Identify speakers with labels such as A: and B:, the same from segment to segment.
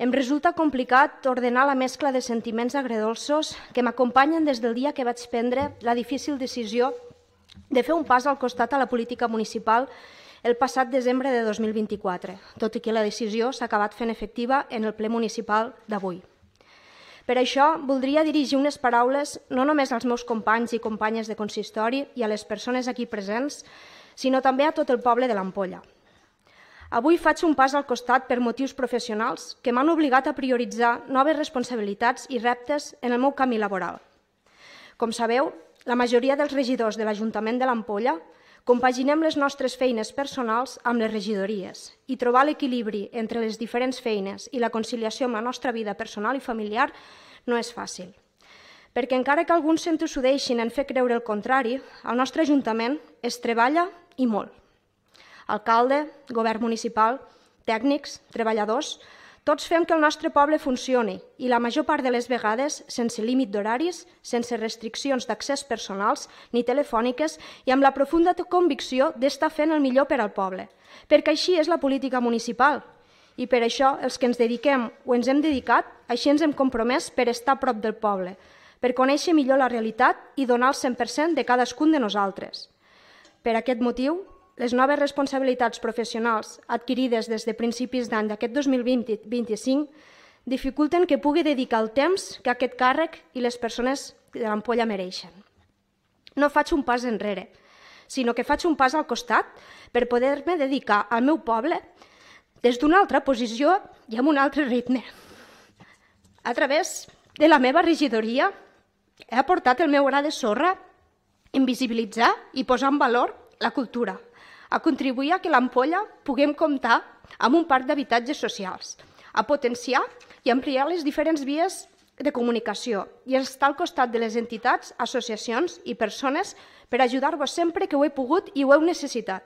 A: Em resulta complicat ordenar la mescla de sentiments agredolços que m'acompanyen des del dia que vaig prendre la difícil decisió de fer un pas al costat a la política municipal el passat desembre de 2024, tot i que la decisió s'ha acabat fent efectiva en el ple municipal d'avui. Per això, voldria dirigir unes paraules no només als meus companys i companyes de consistori i a les persones aquí presents, sinó també a tot el poble de l'Ampolla. Avui faig un pas al costat per motius professionals que m'han obligat a prioritzar noves responsabilitats i reptes en el meu camí laboral. Com sabeu, la majoria dels regidors de l'Ajuntament de l'Ampolla compaginem les nostres feines personals amb les regidories i trobar l'equilibri entre les diferents feines i la conciliació amb la nostra vida personal i familiar no és fàcil. Perquè encara que alguns s'entossudeixin en fer creure el contrari, al nostre Ajuntament es treballa i molt. Alcalde, govern municipal, tècnics, treballadors, tots fem que el nostre poble funcioni i la major part de les vegades sense límit d'horaris, sense restriccions d'accés personals ni telefòniques i amb la profunda convicció d'estar fent el millor per al poble, perquè així és la política municipal i per això els que ens dediquem o ens hem dedicat, així ens hem compromès per estar a prop del poble, per conèixer millor la realitat i donar el 100% de cadascun de nosaltres. Per aquest motiu, les noves responsabilitats professionals adquirides des de principis d'any d'aquest 2025 dificulten que pugui dedicar el temps que aquest càrrec i les persones de l'Ampolla mereixen. No faig un pas enrere, sinó que faig un pas al costat per poder-me dedicar al meu poble des d'una altra posició i amb un altre ritme. A través de la meva regidoria he aportat el meu gra de sorra en visibilitzar i posar en valor la cultura, a contribuir a que l'Ampolla puguem comptar amb un parc d'habitatges socials, a potenciar i ampliar les diferents vies de comunicació i estar al costat de les entitats, associacions i persones per ajudar-vos sempre que ho he pogut i ho heu necessitat.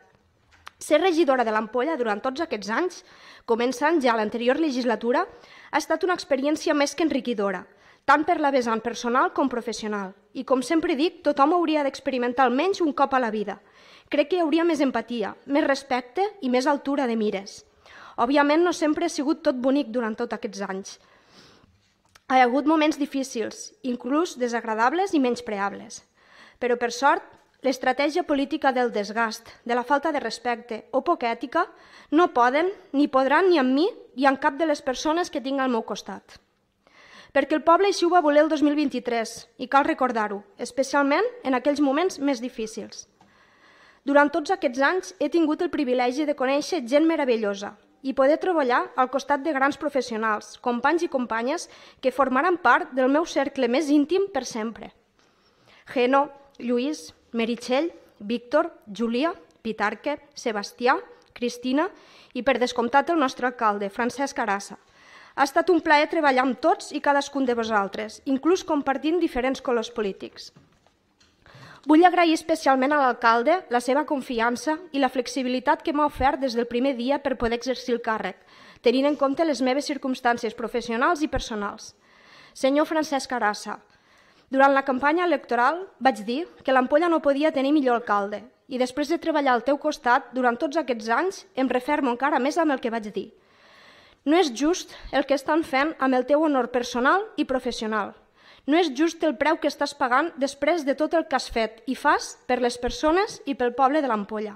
A: Ser regidora de l'Ampolla durant tots aquests anys, començant ja l'anterior legislatura, ha estat una experiència més que enriquidora, tant per la vessant personal com professional. I com sempre dic, tothom hauria d'experimentar almenys un cop a la vida. Crec que hi hauria més empatia, més respecte i més altura de mires. Òbviament no sempre ha sigut tot bonic durant tots aquests anys. Hi ha hagut moments difícils, inclús desagradables i menyspreables. Però per sort, l'estratègia política del desgast, de la falta de respecte o poca ètica no poden ni podran ni amb mi i amb cap de les persones que tinc al meu costat. Perquè el poble així ho va voler el 2023 i cal recordar-ho, especialment en aquells moments més difícils. Durant tots aquests anys he tingut el privilegi de conèixer gent meravellosa i poder treballar al costat de grans professionals, companys i companyes que formaran part del meu cercle més íntim per sempre. Geno, Lluís, Meritxell, Víctor, Júlia, Pitarque, Sebastià, Cristina i, per descomptat, el nostre alcalde, Francesc Arassa. Ha estat un plaer treballar amb tots i cadascun de vosaltres, inclús compartint diferents colors polítics. Vull agrair especialment a l'alcalde la seva confiança i la flexibilitat que m'ha ofert des del primer dia per poder exercir el càrrec, tenint en compte les meves circumstàncies professionals i personals. Senyor Francesc Arassa, durant la campanya electoral vaig dir que l'Ampolla no podia tenir millor alcalde i després de treballar al teu costat durant tots aquests anys em refermo encara més amb el que vaig dir. No és just el que estan fent amb el teu honor personal i professional. No és just el preu que estàs pagant després de tot el que has fet i fas per les persones i pel poble de l'Ampolla.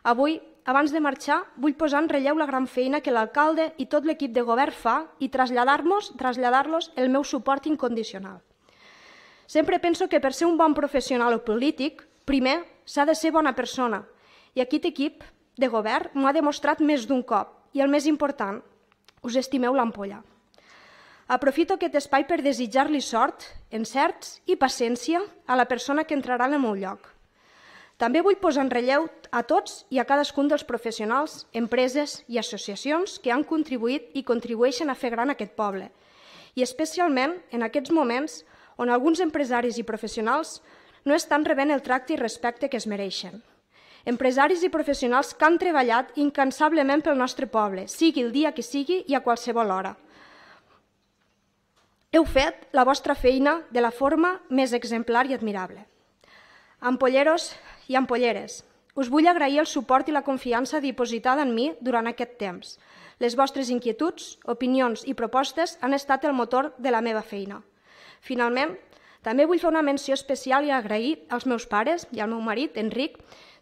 A: Avui, abans de marxar, vull posar en relleu la gran feina que l'alcalde i tot l'equip de govern fa i traslladar-los el meu suport incondicional. Sempre penso que per ser un bon professional o polític, primer s'ha de ser bona persona i aquest equip de govern m'ho ha demostrat més d'un cop i el més important, us estimeu l'Ampolla. Aprofito aquest espai per desitjar-li sort, encerts i paciència a la persona que entrarà en el meu lloc. També vull posar en relleu a tots i a cadascun dels professionals, empreses i associacions que han contribuït i contribueixen a fer gran aquest poble, i especialment en aquests moments on alguns empresaris i professionals no estan rebent el tracte i respecte que es mereixen. Empresaris i professionals que han treballat incansablement pel nostre poble, sigui el dia que sigui i a qualsevol hora. Heu fet la vostra feina de la forma més exemplar i admirable. Ampolleros i ampolleres, us vull agrair el suport i la confiança dipositada en mi durant aquest temps, Les vostres inquietuds, opinions i propostes han estat el motor de la meva feina. Finalment, també vull fer una menció especial i agrair als meus pares i al meu marit, Enric,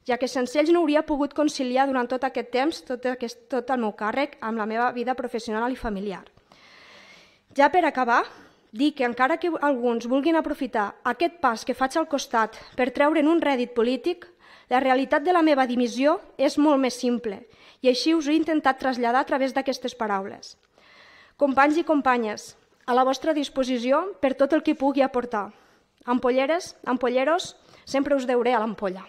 A: ja que sense ells no hauria pogut conciliar durant tot aquest temps tot el meu càrrec amb la meva vida professional i familiar. Ja per acabar, dir que encara que alguns vulguin aprofitar aquest pas que faig al costat per treure'n un rèdit polític, la realitat de la meva dimissió és molt més simple i així us ho he intentat traslladar a través d'aquestes paraules. Companys i companyes, a la vostra disposició per tot el que pugui aportar. Ampolleres, ampolleros, sempre us deuré a l'ampolla.